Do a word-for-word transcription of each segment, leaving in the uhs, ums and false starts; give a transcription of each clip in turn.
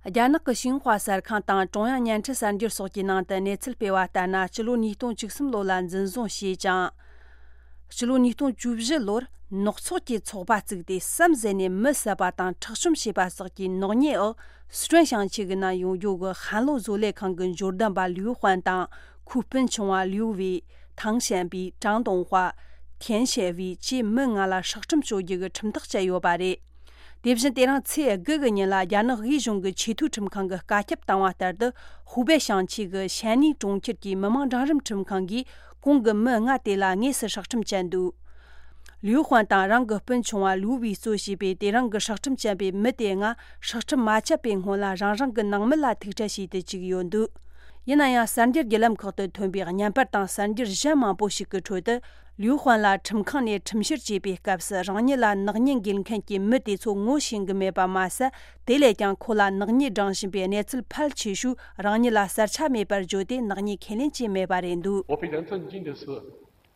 རྒྱ་ནག་གི་ཤིན་ཧྭ་གསར་ཁང་དང་ཀྲུང་དབྱང་བརྙན་འཕྲིན་གསར་འགྱུར་སོགས་ཀྱི་ནང་དུ་གནས་ཚུལ་སྤེལ་བ་ལྟར་ན། སྤྱི་ལོ་ཉིས་སྟོང་བཅུ་གསུམ་ལོ་ལ་འཛིན་བཟུང་བྱས་ཀྱང་། སྤྱི་ལོ་ཉིས་སྟོང་བཅུ་བཞི་ལོར་ནག་ཚོགས་ཀྱི་ཚོགས་པ་བཙུགས་ཏེ་བསམ་གཟས་ནས་མི་བསད་པ་དང་འཕྲོག་བཅོམ་བྱས་པ་སོགས་ཀྱི་ནག་ཉེས་འོག་སི་ཁྲོན་ཞིང་ཆེན་གྱི་ནང་ཡོང་རྒྱུ་གི་ཧན་ལོ་བཟོ་ལས་ཁང་གི་འབྱོར་ལྡན་པ་ལིའུ་ཧུན་དང་ཁོའི་སྤུན་ཆུང་བ་ལིའུ་ཝེ། ཐང་ཞན་པི། ཀྲང་ཏུང་ཧྭ། ཐེན་ཞེ་ཝེ་བཅས་མི་ལྔ་ལ་སྲོག་ཁྲིམས་གཅོད་རྒྱུ་གི་ཁྲིམས་ཐག་བཅད་ཡོད་པ་རེད། དེ་བཞིན་དེ་རིང་ཚེས་དགུ་གི་ཉིན་ལ་རྒྱ་ནག་དབུས་གཞུང་གི་ཆེས་མཐོའི་ཁྲིམས་ཁང་གིས་བཀའ་ཁྱབ་བཏང་བ་ལྟར་དུ། ཧུའུ་པེ་ཞིང་ཆེན་གྱི་ཞན་ནི་གྲོང་ཁྱེར་གྱི་མི་དམངས་འབྲིང་རིམ་ཁྲིམས་ཁང་གིས་གོང་གི་མི་ལྔ་དེ་ལ་དངོས་སུ་སྲོག་ཁྲིམས་བཅད་འདུག་ལིའུ་ཧུན་དང་རང་གི་སྤུན་ཆུང་བ་ལིའུ་ཝེ་གཙོ་བྱས་པའི་དེ་རིང་གི་སྲོག་ཁྲིམས་བཅད་པའི་མི་དེ་ལྔ་སྲོག་ཁྲིམས་མ་བཅད་པའི་སྔོན་ལ་རང་རང་གི་ནང་མི་ལ་ཐུག་འཕྲད་བྱས་ཏེ་བཅུག་ཡོད་འདུག་ཡིན་ན་ཡང་། གསར་འགྱུར་བརྒྱུད་ལམ་ཁག་ཏུ་ཐོན་པའི་བརྙན་པར་དང་གསར་འགྱུར་གཞན་མང་པོ་ཞིག་གི་ཁྲོད་དུ། ལིའུ་ཧུན་ལ་ཁྲིམས་ཁང་ནས་ཁྲིམས་བཤེར་བྱས་པའི་སྐབས་སུ། རང་ཉིད་ལ་ནག་ཉེས་འགེལ་མཁན་གྱི་མི་དེ་ཚོ་ངོ་ཤེས་གི་མེད་པ་མ་ཟད། དེ་ལས་ཀྱང་ཁོ་ལ་ནག་ཉེས་འབྲང་བཞིན་པའི་གནས་ཚུལ་ཕལ་ཆེ་ཤོས་རང་ཉིད་ལ་གསལ་ཆ་མེད་པར་བརྗོད་དེ་ནག་ཉེས་ཁས་ལེན་བྱས་མེད་པ་རེད་འདུག 我非常震惊的是，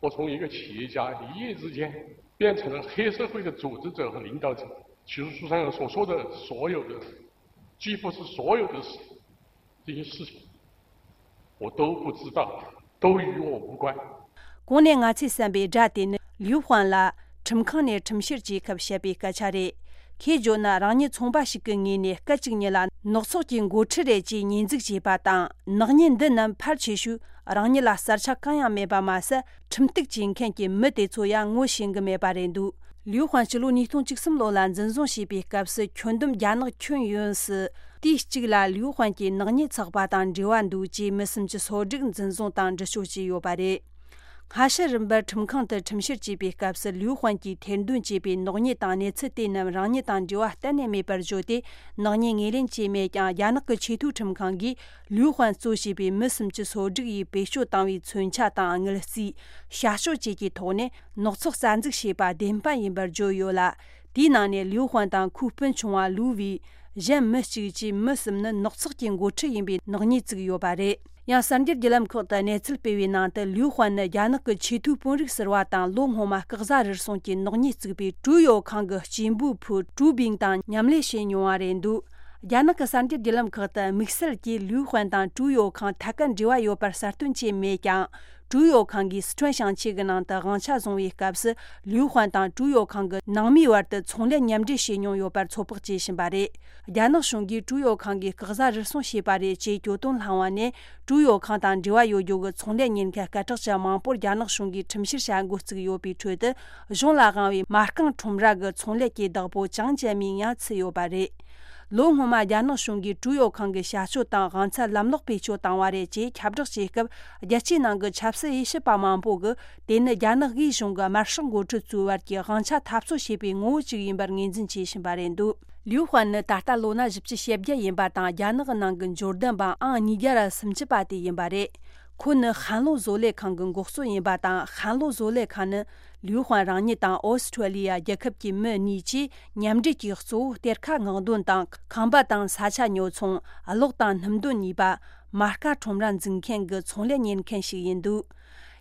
我从一个企业家一夜之间变成了黑社会的组织者和领导者。其实书上所说的所有的，几乎是所有的事，这些事情，我都不知道，都与我无关。གོང་ནས་ང་ཚོས་གསན་པའི་སྒྲ་དེ་ནི་ལིའུ་ཧུན་ལ་ཁྲིམས་ཁང་ནས་ཁྲིམས་བཤེར་བྱེད་སྐབས་བཤད་པའི་སྐད་ཆ་རེད། ཁོས་བརྗོད་ན། རང་ཉིད་ཚོང་པ་ཞིག་གི་ངོས་ནས་སྐད་ཅིག་ཉིད་ལ་ནག་ཚོགས་ཀྱི་འགོ་ཁྲིད་རེད་ཅེས་ཉེས་འཛུགས་བྱས་པ་དང་། ནག་ཉེས་འདི་རྣམས་ཕལ་ཆེ་ཤོས་རང་ཉིད་ལ་གསལ་ཆ་གང་ཡང་མེད་པ་མ་ཟད། ཁྲིམས་གཏུག་བྱེད་མཁན་གྱི་མི་དེ་ཚོ་ཡང་ངོ་ཤེས་གི་མེད་པ་རེད་འདུག་ལིའུ་ཧུན་སྤྱི་ལོ་ཉིས་སྟོང་བཅུ་གསུམ་ལོ་ལ་འཛིན་བཟུང་བྱས་པའི་སྐབས་སུ། ཁྱོན་བསྡོམས་རྒྱ་ནག་ཁྱོན་ཡོངས་སུ་དུས་གཅིག་ལ་ལིའུ་ཧུན་གྱི་ནག་ཉེས་ཚོགས་པ་དང་འབྲེལ་བ་འདུག་ཅེས་མི་སུམ་ཅུ་སོ་དྲུག་འཛིན་བཟུང་དང་འདྲི་གཅོད་བྱས་ཡོད་པ་རེད། སྔ་ཕྱི་རིམ་པར་ཁྲིམས་ཁང་དུ་ཁྲིམས་བཤེར་བྱས་པའི་སྐབས་སུ། ལིའུ་ཧུན་གྱིས་ཐེར་འདོན་བྱས་པའི་ནག་ཉེས་དང་གནས་ཚུལ་དེ་རྣམས་རང་ཉིད་དང་འབྲེལ་བ་གཏན་ནས་མེད་པར་བརྗོད་དེ། ནག་ཉེས་ངོས་ལེན་བྱས་མེད་ཀྱང་། རྒྱ་ནག་གི་ཆེས་མཐོའི་ཁྲིམས་ཁང་གིས་ལིའུ་ཧུན་གཙོ་བྱས་པའི་མི་སུམ་ཅུ་སོ་དྲུག་ཡིས་བེད་སྤྱོད་བཏང་བའི་མཚོན་ཆ་དང་དངུལ་རྩིས། བྱ་སྤྱོད་བཅས་ཀྱི་ཐོག་ནས་ནག་ཚོགས་རྩ་འཛུགས་བྱས་པ་བདེན་པ་ཡིན་པར་བརྗོད་ཡོད་ལ། དེའི་ནང་ནས་ལིའུ་ཧུན་དང་ཁོའི་སྤུན་ཆུང་བ་ལུའུ་ཝེ། གཞན་མི་གཅིག་བཅས་མི་གསུམ་ནི་ནག་ཚོགས་ཀྱི་འགོ་ཁྲིད་ཡིན་པའི་ནག་ཉེས་བཙུགས་ཡོད་པ་རེད། ཡང་གསར་འགྱུར་བརྒྱུད་ལམ་ཁག་ཏུ་གནས་ཚུལ་སྤེལ་བའི་ནང་དུ། ལིའུ་ཧུན་ནི་རྒྱ་ནག་གི་ཆེས་མཐོའི་དཔོན་རིགས་ཟུར་པ་དང་། ལོ་སྔོན་མ་སྐུ་གཟུགས་རུལ་སུངས་ཀྱི་ནག་ཉེས་བཙུགས་པའི་ཀྲུའུ་ཡོ་ཁང་གི་སྐྱེས་འབུལ་ཕུ་ཀྲུའུ་བིང་དང་མཉམ་ལས་བྱས་མྱོང་བ་རེད་འདུག་རྒྱ་ནག་གི་གསར་འགྱུར་བརྒྱུད་ལམ་ཁག་ཏུ་དམིགས་བསལ་གྱིས་ལིའུ་ཧུན་དང་ཀྲུའུ་ཡོ་ཁང་ཐད་ཀར་འབྲེལ་བ་ཡོད་པར་གསལ་སྟོན་བྱས་མེད་ཀྱང་། ཀྲུའུ་ཡོ་ཁང་གིས་སི་ཁྲོན་ཞིང་ཆེན་གྱི་ནང་དུ་དབང་ཆ་བཟུང་བའི་སྐབས་སུ། ལིའུ་ཧུན་དང་ཀྲུའུ་ཡོ་ཁང་གི་ནང་མིའི་བར་དུ་ཚོང་ལས་མཉམ་འབྲེལ་བྱས་མྱོང་ཡོད་པར་ཚོད་དཔག་བྱེད་བཞིན་པ་རེད། རྒྱ་ནག་གཞུང་གིས་ཀྲུའུ་ཡོ་ཁང་གིས་སྐུ་གཟུགས་རུལ་སུངས་བྱས་པ་རེད་ཅེས་གྱོད་དོན་བསླངས་པ་ནས། ཀྲུའུ་ཡོ་ཁང་དང་འབྲེལ་བ་ཡོད་རྒྱུ་གི་ཚོང་ལས་གཉེར་མཁན་སྐད་གྲགས་ཅན་མང་པོར་རྒྱ་ནག་གཞུང་གིས་ཁྲིམས་བཤེར་བྱ་འགོ་བཙུགས་ཡོད་པའི་ཁྲོད་དུ། གཞུང་ལ་དབང་བའི་མ་རྐང་ཁྲོམ་ར་གི་ཚོང་ལས་ཀྱི་བདག་པོ་ཅང་ཅན་མིང་ཡང་ཚུད་ཡོད་པ་རེད། ལོ་སྔོན་མ་རྒྱ་ནག་གཞུང་གིས་ཀྲུའུ་ཡོ་ཁང་གི་བྱ་སྤྱོད་དང་དབང་ཆ་ལམ་ལྷོང་བེད་སྤྱོད་བཏང་བ་རེད་ཅེས་ཁྱབ་བསྒྲགས་བྱས་སྐབས། རྒྱལ་སྤྱིའི་ནང་གི་ཆབ་སྲིད་དབྱེ་ཞིབ་པ་མང་པོ་གིས། དེ་ནི་རྒྱ་ནག་དབུས་གཞུང་གི་དམར་ཤོག་འགོ་ཁྲིད་ཚོའི་བར་གྱི་དབང་ཆ་འཐབ་རྩོད་བྱེད་པའི་ངོ་བོ་གཅིག་ཡིན་པར་ངོས་འཛིན་བྱེད་བཞིན་པ་རེད་འདུག་ལིའུ་ཧུན་ནི་ད་ལྟ་ལོ་ན་བཞི་བཅུ་ཞེ་བརྒྱད་ཡིན་པ་དང་། རྒྱ་ནག་གི་ནང་གི་འབྱོར་ལྡན་པ་ཨང་ཉིས་བརྒྱ་ར་སུམ་ཅུ་པ་དེ་ཡིན་པ་རེད། ཁོ་ནི་ཧན་ལོ་བཟོ་ལས་ཁང་གི་འགོ་གཙོ་ཡིན་པ་དང་། ཧན་ལོ་བཟོ་ལས་ཁང་ནི་ལིའུ་ཧུན་རང་ཉིད་དང་ཨོ་སི་ཁྲུ་ལི་ཡ་རྒྱལ་ཁབ་ཀྱི་མི་གཉིས་ཀྱིས་མཉམ་འབྲེལ་གྱིས་གཙོ་བོ་གཏེར་ཁ་སྔོག་འདོན་དང་། ཁང་པ་དང་ས་ཆ་ཉོ་ཚོང་། གློག་དང་སྣུམ་འདོན་ནུས་པ། མ་རྐང་ཁྲོམ་ར་འཛུགས་མཁན་གྱི་ཚོང་ལས་གཉེར་མཁན་ཞིག་ཡིན་འདུག་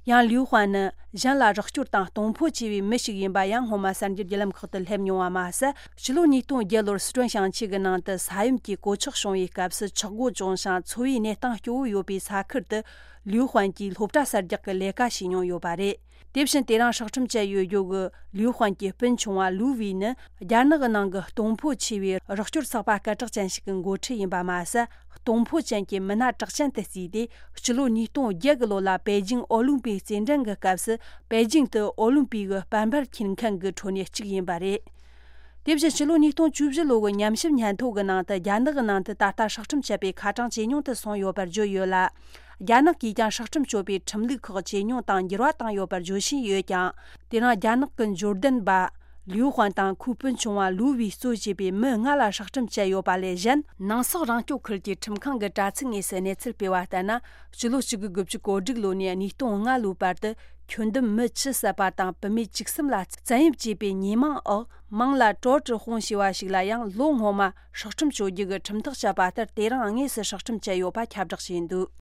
ཡང་ལིའུ་ཧུན་ནི་གཞན་ལ་རོགས་སྐྱོར་དང་གཏོང་ཕོད་ཆེ་བའི་མི་ཞིག་ཡིན་པ་ཡང་སྔོན་མ་གསར་འགྱུར་བརྒྱུད་ལམ་ཁག་ཏུ་སླེབས་མྱོང་བ་མ་ཟད། ཕྱི་ལོ་ཉིས་སྟོང་བརྒྱད་ལོར་སི་ཁྲོན་ཞིང་ཆེན་གྱི་ནང་དུ་ས་ཡོམ་གྱི་གོད་ཆག་བྱུང་བའི་སྐབས་སུ། ཆག་སྒོ་བྱུང་ཞིང་འཚོ་བའི་གནས་སྟངས་སྐྱོ་བོ་ཡོད་པའི་ས་ཁུལ་དུ་ལིའུ་ཧུན་གྱིས་སློབ་གྲྭ་གསར་རྒྱག་གི་ལས་ཀ་བྱས་མྱོང་ཡོད་པ་རེད། དེ་བཞིན་དེ་རིང་སྲོག་ཁྲིམས་བཅད་ཡོད་རྒྱུ་གི་ལིའུ་ཧུན་གྱི་སྤུན་ཆུང་བ་ལུའུ་ཝེ་ནི་རྒྱ་ནག་གི་ནང་གི་གཏོང་ཕོད་ཆེ་བའི་རོགས་སྐྱོར་ཚོགས་པ་སྐད་གྲགས་ཅན་ཞིག་གི་འགོ་ཁྲིད་ཡིན་པ་མ་ཟད། གཏོང་ཕོད་ཅན་གྱི་མི་སྣ་གྲགས་ཅན་དུ་བརྩིས་ཏེ། སྤྱི་ལོ་ཉིས་སྟོང་བརྒྱད་གི་ལོ་ལ་པེ་ཅིང་ཨོ་ལིམ་པིག་རྩེད་འགྲན་གྱི་སྐབས་སུ། པེ་ཅིང་དུ་ཨོ་ལིམ་པིག་གི་དཔལ་འབར་འཁྱེར་མཁན་གྱི་ཁྲོད་ནས་གཅིག་ཡིན་པ་རེད། དེ་བཞིན་ཕྱི་ལོ་ཉིས་སྟོང་བཅུ་བཞི་ལོ་གི་ཉམས་ཞིབ་སྙན་ཐོ་གི་ནང་དུ། རྒྱ་ནག་གི་ནང་དུ་ད་ལྟ་སྲོག་ཁྲིམས་བཅད་པའི་ཁ་གྲངས་ཇེ་ཉུང་དུ་སོང་ཡོད་པར་བརྗོད་ཡོད་ལ། རྒྱ་ནག་གིས་ཀྱང་སྲོག་ཁྲིམས་གཅོད་པའི་ཁྲིམས་ལུགས་ཁག་ཇེ་ཉུང་དང་འགྱུར་བ་བཏང་ཡོད་པར་བརྗོད་བཞིན་ཡོད་ཀྱང་། དེ་རིང་རྒྱ་ནག་གི་འབྱོར་ལྡན་པ་ལིའུ་ཧུན་དང་ཁོའི་སྤུན་ཆུང་བ་ལུའུ་ཝེ་གཙོ་བྱས་པའི་མི་ལྔ་ལ་སྲོག་ཁྲིམས་བཅད་ཡོད་པ་ལས་གཞན། ནང་སོག་རང་སྐྱོང་ཁུལ་གྱི་ཁྲིམས་ཁང་གི་དྲ་ཚིགས་དངོས་སུ་གནས་ཚུལ་སྤེལ་བ་ལྟར་ན། ཕྱི་ལོ་གཅིག་དགུ་དགུ་བཅུ་གོ་དྲུག་ལོ་ནས་ཉིས་སྟོང་ལྔ་ལོའི་བར་དུ། ཁྱོན་བསྡོམས་མི་བཅུ་བསད་པ་དང་བུད་མེད་བཅུ་གསུམ་ལ་བཙན་གཡེམ་བྱས་པའི་ཉེས་མིང་འོག་མིང་ལ་ཀྲོའུ་ཀྲི་ཧུང་ཞེས་པ་ཞིག་ལ་ཡང་ལོ་སྔོན་མ་སྲོག་ཁྲིམས་གཅོད་རྒྱུ་གི་ཁྲིམས་ཐག་བཅད་པ་ལྟར། དེ་རིང་དངོས་སུ་སྲོག་ཁྲིམས་བཅད་ཡོད་པ་ཁྱབ་བསྒྲགས་བྱས་འདུག